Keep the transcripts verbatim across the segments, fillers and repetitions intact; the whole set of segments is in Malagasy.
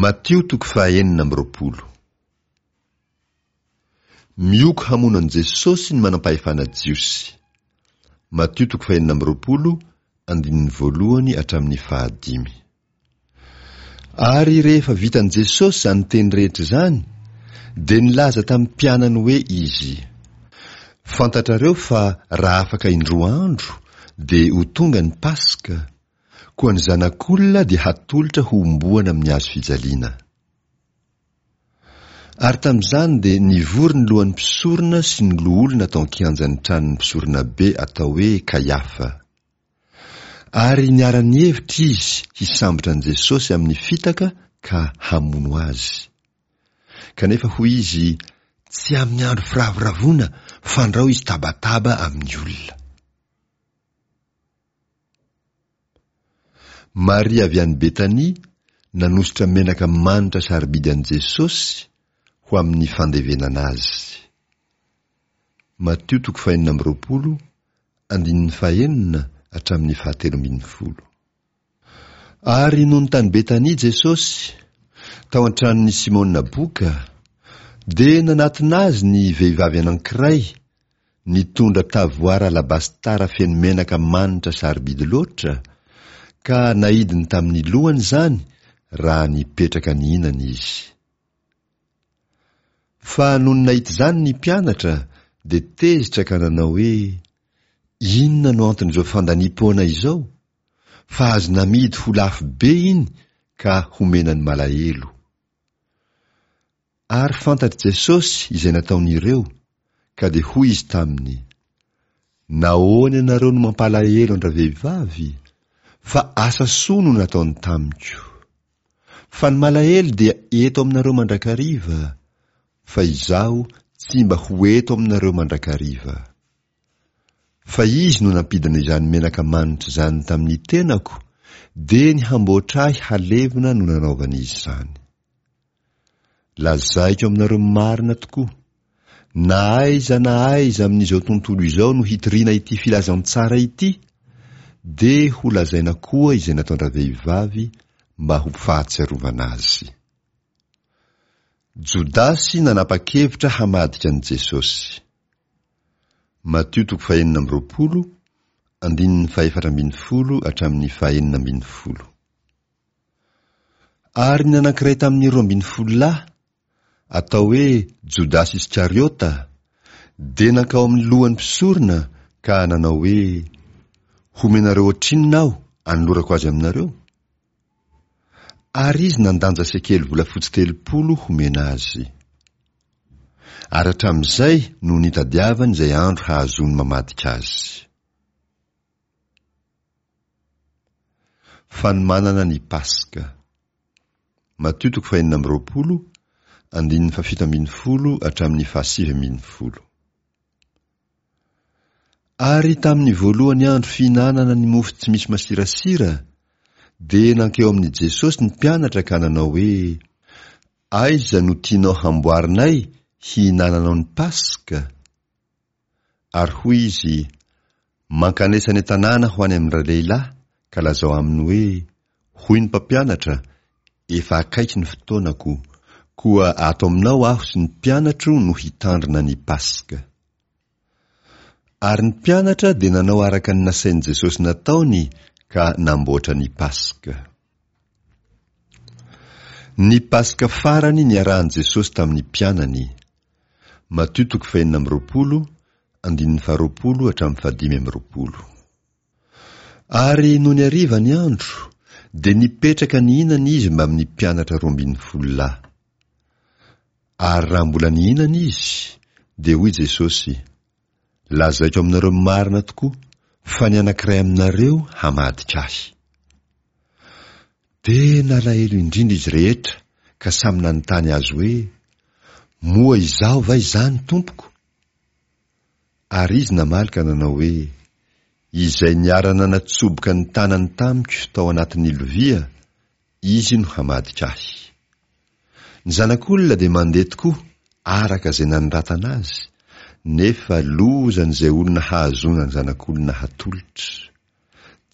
Matio toko fahaenina amby roapolo. Mioko hamono an'i Jesosy ny manam-pahefana jiosy. Matio toko fahenina amby roapolo, andininy voalohany hatramin'ny fahadimy. Ary rehefa vitan'i Jesosy izany teny rehetra izany, dia nilaza tamin'ny mpianany hoe Izy, Fantatrareo fa raha afaka indroa andro dia ho tonga ny Paska, koa ny Zanak'olona dia hatolotra hohomboana amin'ny hazo fijaliana. Ary tamin'izany dia nivory ny lohan'ny mpisorona sy ny loholona tao an-kianjan'ny tranon'ny mpisoronabe atao hoe Kaiafa. Ary niara-nihevitra izy hisambotra an'i Jesosy amin'ny fitaka ka hamono azy. Kanefa hoy izy, Tsy amin'ny andro firavoravoana, fandrao izy tabataba amin'ny olona. Maria avy any Betania nanosotra menaka manitra sarobidy an'i Jesosy ho amin'ny fandevenana azy. Matio toko fahenina amby roapolo, andininy fahenina hatramin'ny fahatelo ambin'ny folo. Ary nony tany Betania Jesosy, tao an-tranon'i Simona boka, dia nanatona azy ny vehivavy anankiray nitondra tavoara alabastara feno menaka manitra sarobidy loatra, ka naidiny tamin'ny lohany izany raha nipetraka nihinana izy. Fa nony nahita izany ny mpianatra, dia tezitra ka nanao hoe, Inona no anton'izao fandaniam-poana izao? Fa azo namidy ho lafo be iny ka homena ny malahelo. Ary fantatr'i Jesosy izay nataon'ireo, ka dia hoy Izy taminy, Nahoana ianareo no mampalahelo an-dravehivavy? Fa asa soa no nataony tamiko. Fa ny malahelo dia eto aminareo mandrakariva, fa Izaho tsy mba ho eto aminareo mandrakariva. Fa Izy no nampidina izany menaka manitra izany tamin'ny tenako, dia ny hamboatra ahy halevina no nanaovany izany. Lazaiko aminareo marina tokoa, na aiza na aiza amin'izao tontolo izao no hitoriana ity filazantsara ity, dia ho lazaina koa izay nataon-dravehivavy mba ho fahatsiarovana azy. Jodasy nanapa-kevitra hamadika an'i Jesosy. Matio toko fahenina amby roapolo, andininy fahefatra ambin'ny folo hatramin'ny fahenina ambin'ny folo. Ary ny anankiray tamin'ny roa ambin'ny folo lahy, atao hoe Jodasy Iskariota, dia nankao amin'ny lohan'ny mpisorona ka nanao hoe, Homenareo ohatrinona aho anolorako azy aminareo? Ary izy nandanja sekely volafotsy telopolo homena azy. Ary hatramin'izay no nitadiavany izay andro hahazoany mamadika azy. Fanomanana ny Paska. Matio toko fahenina amby roapolo, andininy fahafito ambin'ny folo hatramin'ny fahasivy ambin'ny folo. Ary tamin'ny voalohany andro fihinanana ny mofo tsy misy masirasira, dia nankeo amin'i Jesosy ny mpianatra ka nanao hoe, Aiza no tianao hamboarinay hihinananao ny Paska? Ary hoy izy, Mankanesa any an-tanàna ho any amin-dralehilahy, ka lazao aminy hoe, Hoy ny Mpampianatra, Efa akaiky ny fotoanako, koa ato aminao aho sy ny mpianatro no hitandrina ny Paska. Ary ny mpianatra dia nanao araka ny nasain'i Jesosy nataony ka namboatra ny Paska. Ny Paska farany niarahan'i Jesosy tamin'ny mpianany. Matio toko fahenina amby roapolo, andininy faharoapolo hatramin'ny fahadimy amby roapolo. Ary nony hariva ny andro, dia nipetraka nihinana izy mbamin'ny mpianatra roa ambin'ny folo lahy. Ary raha mbola nihinana izy, dia hoy Jesosy, Lazaiko aminareo marina tokoa fa ny anankiray aminareo hamadika ahy. Dia nalahelo indrindra izy rehetra ka samy nanontany azy hoe, Moa izaho va izany, Tompoko? Ary izy namaly ka nanao hoe, Izay niara-nanatsoboka ny tanany tamiko tao anatin'ny lovia, izy no hamadika ahy. Ny Zanak'olona dia mandeha tokoa araka izay nanoratana azy, nefa lozan'izay olona hahazoana ny Zanak'olona hatolotra.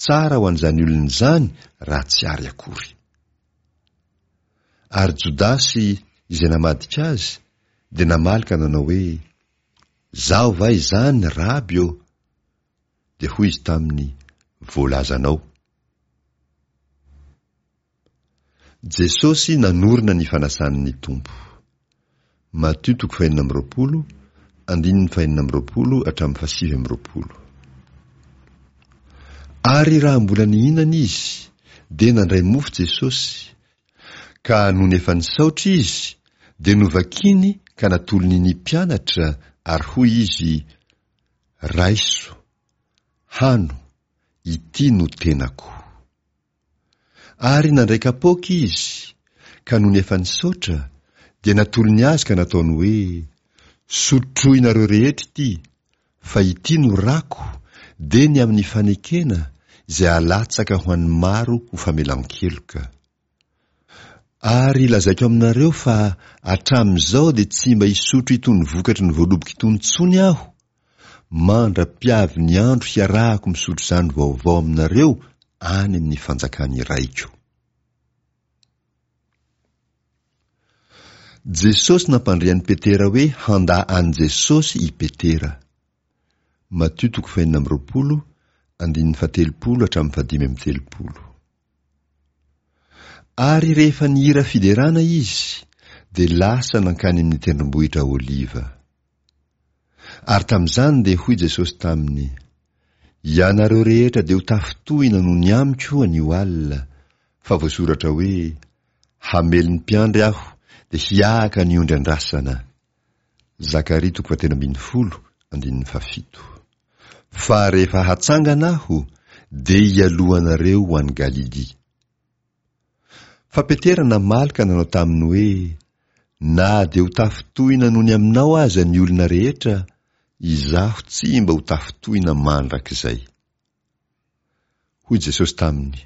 Tsara ho an'izany olona izany raha tsy ary akory. Ary Jodasy izay namadika azy dia namaly ka nanao hoe, Izaho va izany, Raby ô? Dia hoy izy taminy, Voalazanao. Jesosy nanorina ny fanasan'ny Tompo. Matio toko fahenina amby roapolo, andininy fahenina amby roapolo hatramin'ny fahasivy amby roapolo. Ary raha mbola nihinana izy, dia nandray mofo Jesosy, ka nony efa nisaotra izy, dia novakiny ka natolony ny mpianatra, ary hoy izy, Raiso, hano, ity no tenako. Ary nandray kapoaka izy, ka nony efa nisaotra, dia natolony azy ka nataony hoe, Sotroinareo rehetra ity, fa ity no rako, dia ny amin'ny fanekena, izay alatsaka ho an'ny maro ho famelan-keloka. Ary lazaiko aminareo fa hatramin'izao dia tsy mba hisotro itony vokatry ny voaloboka itony intsony aho, mandra-piavy ny andro hiarahako misotro izany vaovao aminareo any amin'ny fanjakan'ny Raiko. Jesosy nampandre an'i Petera hoe handà an'i Jesosy i Petera. Matio toko fahenina amby roapolo, andininy fahatelopolo hatramin'ny fahadimy amby telopolo. Ary rehefa nihira fiderana izy, dia lasa nankany amin'ny tendrombohitra Oliva. Ary tamin'izany dia hoy Jesosy taminy, Ianareo rehetra dia ho tafintohina noho ny amiko anio alina, fa voasoratra hoe, Hamely ny mpiandry aho, dia hiahaka ny ondry andrasana. Zakaria toko fahatelo ambin'ny folo, andininy fahafito. Fa rehefa hatsangana aho, dia hialoha anareo ho any Galilia. Fa Petera namaly ka nanao taminy hoe, Na dia ho tafintohina noho ny aminao aza ny olona rehetra, izaho tsy mba ho tafintohina mandrakizay. Hoy Jesosy taminy,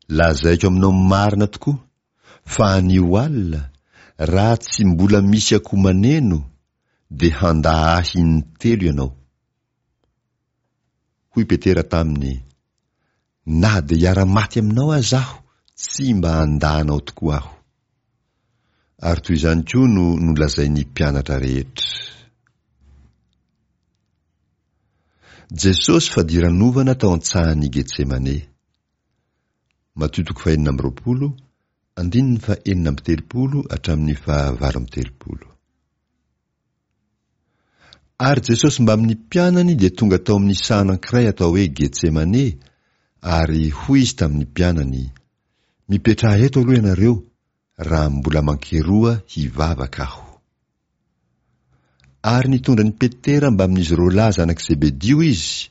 Lazaiko aminao marina tokoa, fa anio alina, raha tsy mbola misy akoho maneno, dia handà ahy intelo ianao. Hoy Petera taminy, Na dia hiara-maty aminao aza aho, tsy mba handà anao tokoa aho. Ary toy izany koa no nolazain'ny mpianatra rehetra. Jesosy fadiranovana tao an-tsahan'i Getsemane. Matio toko fahenina amby roapolo, andininy fahenina amby telopolo hatramin'ny fahavalo amby telopolo. Ary Jesosy mbamin'ny mpianany dia tonga tao amin'ny saha anankiray atao hoe Getsemane, ary hoy izy tamin'ny mpianany, Mipetraha eto aloha ianareo, raha mbola mankeroa hivavaka aho. Ary nitondra an'i Petera mbamin'izy roa lahy zanak'i Zebedio izy,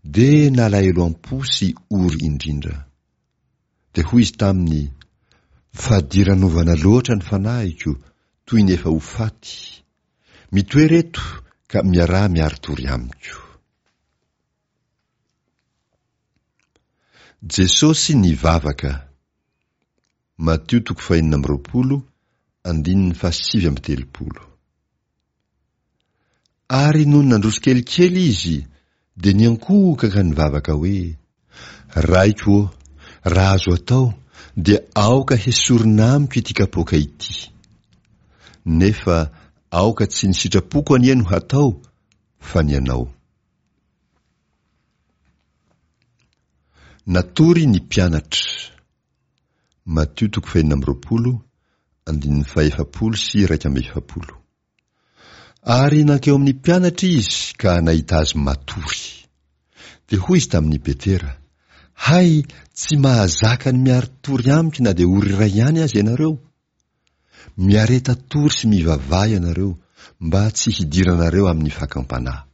dia nalahelo am-po sy ory indrindra. Dia hoy izy taminy, Fadiranovana loatra ny fanahiko, toy ny efa ho faty. Mitoera eto ka miaraha miari-tory amiko. Jesosy nivavaka. Matio toko fahenina amby roapolo, andininy fahasivy amby telopolo. Ary nony nandroso kelikely izy, dia niankohoka ka nivavaka hoe, Raiko ô, raha azo atao, dia aoka hesorina amiko ity kapoaka ity. Nefa aoka tsy ny sitrapoko anie no hatao, fa ny anao. Natory ny mpianatra. Matio toko fahenina amby roapolo, andininy fahefapolo sy iraika amby efapolo. Ary nankeo amin'ny mpianatra izy ka nahita azy matory. Dia hoy izy tamin'i Petera, Hay, tsy mahazaka ny miari-tory amiko na dia ora iray ihany aza ianareo? Miareta tory sy mivavaha ianareo, mba tsy hidiranareo amin'ny fakam-panahy.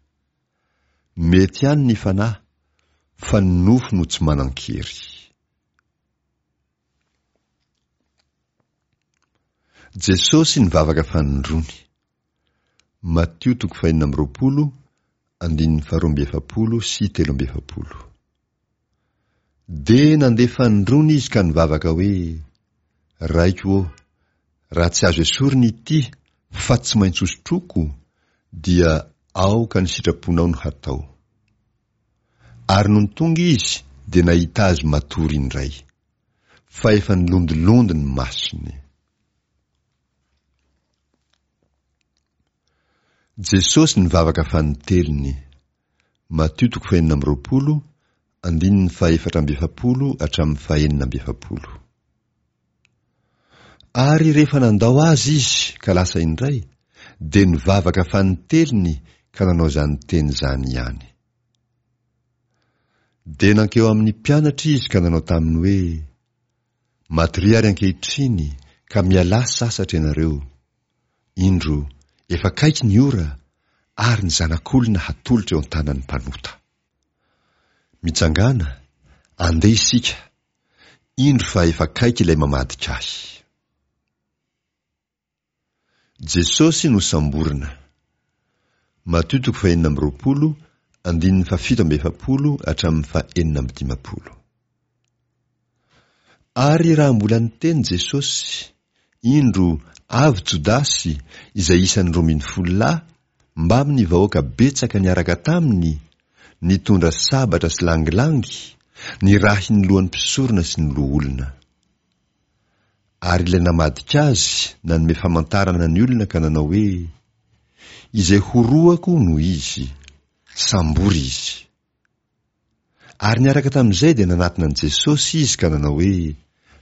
Mety ihany ny fanahy, fa ny nofo no tsy manan-kery. Jesosy nivavaka fanindroany. Matio toko fahenina amby roapolo, andininy faharoa amby efapolo sy telo amby efapolo. Dia nandeha fanindroany izy ka nivavaka hoe, Raiko ô, raha tsy azo esorina ity fa tsy maintsy hosotroiko, dia aoka ny sitraponao no hatao. Ary nony tonga izy dia nahita azy matory indray, fa efa nilondilondy ny masony. Jesosy nivavaka fanintelony. Matio toko fahenina amby roapolo, andininy fahefatra amby efapolo hatramin'ny fahenina amby efapolo. Ary rehefa nandao azy izy ka lasa indray, dia nivavaka fanintelony ka nanao izany teny izany ihany. Dia nankeo amin'ny mpianatra izy ka nanao taminy hoe, Matoria ary ankehitriny ka mialà sasatra ianareo. Indro, efa akaiky ny ora, ary ny Zanak'olona hatolotra eo an-tanan'ny mpanota. Mitsangàna, andeha isika, indro fa efa akaiky ilay mamadika ahy. Jesosy nosamborina. Matio toko fahenina amby roapolo, andininy fahafito amby efapolo hatramin'ny fahenina amby dimampolo. Ary raha mbola niteny Jesosy, indro avy Jodasy izay isan'ny roa ambin'ny folo lahy, mbamin'ny vahoaka betsaka niaraka taminy, nitondra sabatra sy langilangy, nirahin'ny lohan'ny mpisorona sy ny loholona. Ary ilay namadika azy nanome famantarana ny olona ka nanao hoe, Izay horohako no izy, sambory izy. Ary niaraka tamin'izay dia nanatona an'i Jesosy izy ka nanao hoe,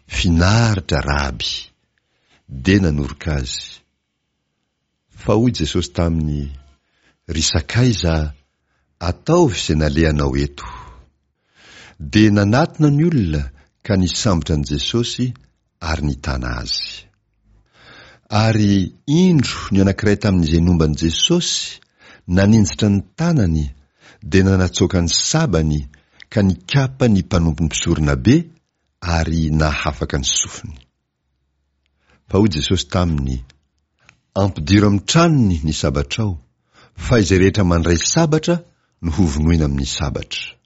Finaritra, Raby! Dia nanoroka azy. Fa hoy Jesosy taminy, Ry sakaiza, ataovy izay nalehanao eto. Dia nanatona ny olona ka nisambotra an'i Jesosy ary nitana azy. Ary indro ny anankiray tamin'izay nomba an'i Jesosy naninjitra ny tanany dia nanatsoaka ny sabany ka nikapa ny mpanompon'ny mpisoronabe ary nahafaka ny sofiny. Fa hoy Jesosy taminy, Ampidiro amin'ny tranony ny sabatrao, fa izay rehetra mandray sabatra no hovonoina amin'ny sabatra.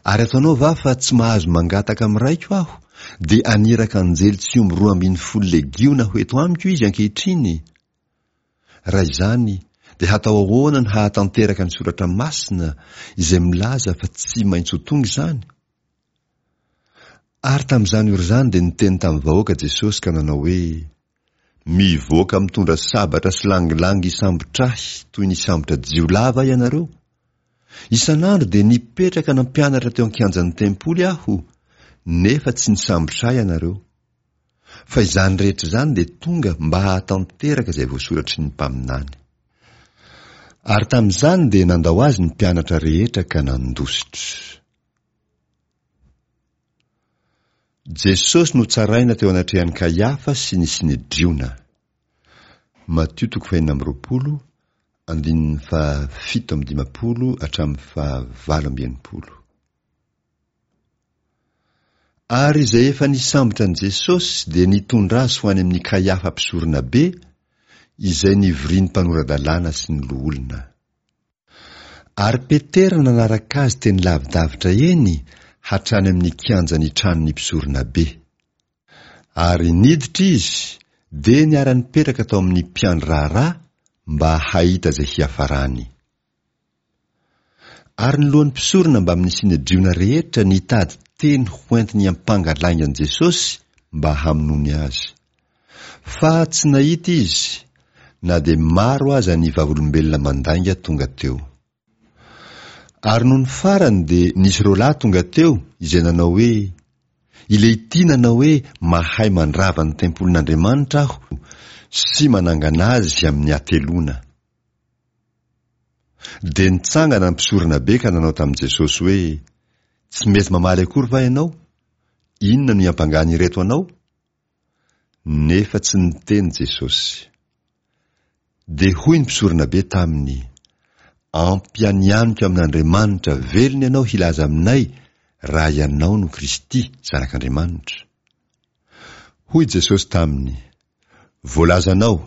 Ary ataonao va fa tsy mahazo mangataka amin'ny Raiko aho, dia haniraka anjely tsy omby roa ambin'ny folo legiona ho eto amiko izy ankehitriny? Raha izany, dia hatao ahoana ny hahatanteraka ny Soratra Masina izay milaza fa tsy maintsy ho tonga izany? Ary tamin'izany ora izany dia niteny tamin'ny vahoaka Jesosy ka nanao hoe, Mivoaka mitondra sabatra sy langilangy hisambotra ahy toy ny hisambotra jiolahy va ianareo? Isan'andro dia nipetraka nampianatra teo an-kianjan'ny tempoly aho, nefa tsy nisambotra ahy ianareo. Fa izany rehetra izany dia tonga mba hahatanteraka izay voasoratry ny mpaminany. Ary tamin'izany dia nandao azy ny mpianatra rehetra ka nandositra. Jesosy notsaraina teo anatrehan'i Kaiafa sy ny Synedriona. Matio toko fahenina amby roapolo, andininy fahafito amby dimampolo hatramin'ny fahavalo amby enimpolo. Ary izay efa nisambotra an'i Jesosy dia nitondra azy ho any amin'i Kaiafa mpisoronabe, izay nivorian'ny mpanora-dalàna sy ny loholona. Ary Petera nanaraka azy teny lavidavitra eny hatrany amin'ny kianjan'ny tranon'ny mpisoronabe. Ary niditra izy, dia niara-nipetraka tao amin'ny mpiandry raharaha mba hahita izay hiafarany. Ary ny lohan'ny mpisorona mbamin'ny Synedriona rehetra nitady teny hoentiny hiampanga lainga an'i Jesosy mba hamonoany azy. Fa tsy nahita izy, na dia maro aza ny vavolombelona mandainga tonga teo. Ary nony farany dia nisy roa lahy tonga teo izay nanao hoe, Ilehity nanao hoe mahay mandrava ny tempolin'Andriamanitra aho sy manangana azy amin'ny hateloana. Dia nitsangana ny mpisoronabe ka nanao tamin'i Jesosy hoe, Tsy mety mamaly akory va ianao? Inona no iampangan'ireto anao? Nefa tsy niteny Jesosy. Dia hoy ny mpisoronabe taminy, Ampianianiko amin'Andriamanitra velona ianao hilaza aminay raha ianao no Kristy, Zanak'Andriamanitra. Hoy Jesosy taminy, Voalazanao,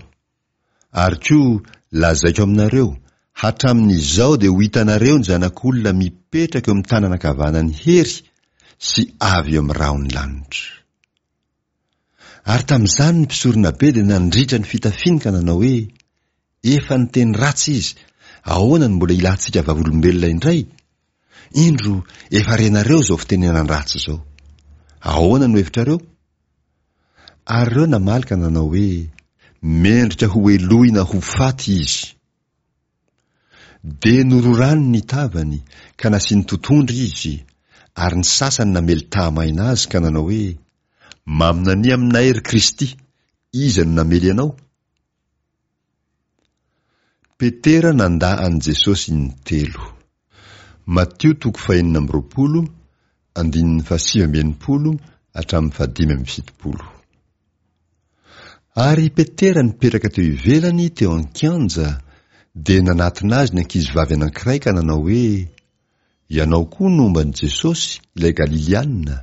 ary koa lazaiko aminareo, hatramin'izao dia ho hitanareo ny Zanak'olona mipetraka eo amin'ny tanana ankavanan'ny hery sy avy eo amin'ny rahon'ny lanitra. Ary tamin'izany ny mpisoronabe dia nandritra ny fitafiany ka nanao hoe, Efa niteny ratsy izy, ahoana no mbola ilantsika vavolombelona indray? Indro, efa renareo izao fitenenan-dratsy izao. Ahoana no hevitrareo? Ary ireo namaly ka nanao hoe, Mendrika hohelohina ho faty izy. Dia nororany ny tavany, ka nasiany totohondry izy, ary ny sasany namely tehamaina azy ka nanao hoe, Maminania aminay, ry Kristy, iza no namely anao? Petera nandà an'i Jesosy intelo. Matio toko fahenina amby roapolo, andininy fahasivy amby enimpolo hatramin'ny fahadimy amby fitopolo. Ary i Petera nipetraka teo ivelany teo an-kianja, dia nanatona azy ny ankizivavy anankiray ka nanao hoe, Ianao koa nomba an'i Jesosy, ilay Galiliana.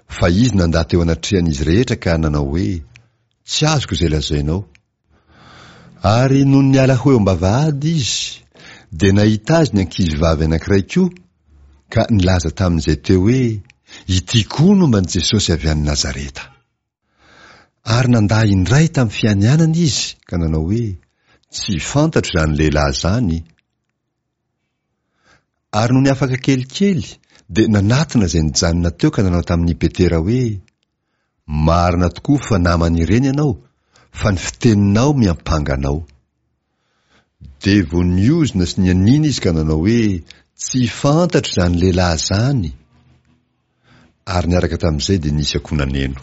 Fa izy nandà teo anatrehan'izy rehetra ka nanao hoe, Tsy azoko izay lazainao. Ary nony niala ho eo am-bavahady izy, dia nahita azy ny ankizivavy anankiray koa, ka nilaza tamin'izay teo hoe, Ity koa nomba an'i Jesosy avy any Nazareta. Ary nandà indray tamin'ny fianianana izy ka nanao hoe, Tsy fantatro izany lehilahy izany. Ary nony afaka kelikely, dia nanatona izay nijanona teo ka nanao tamin'i Petera hoe, Marina tokoa fa naman'ireny ianao, fa ny fiteninao miampanga anao. Dia vao niozona sy nianiana izy ka nanao hoe, Tsy fantatro izany lehilahy izany. Ary niaraka tamin'izay dia nisy akoho naneno.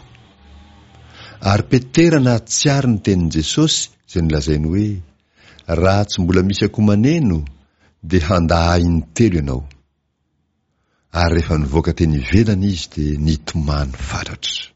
Ary Petera nahatsiaro ny tenin'i Jesosy izay nolazainy hoe, Raha tsy mbola misy akoho maneno, dia handà ahy intelo ianao. Ary rehefa nivoaka teny ivelany izy dia nitomany fatratra.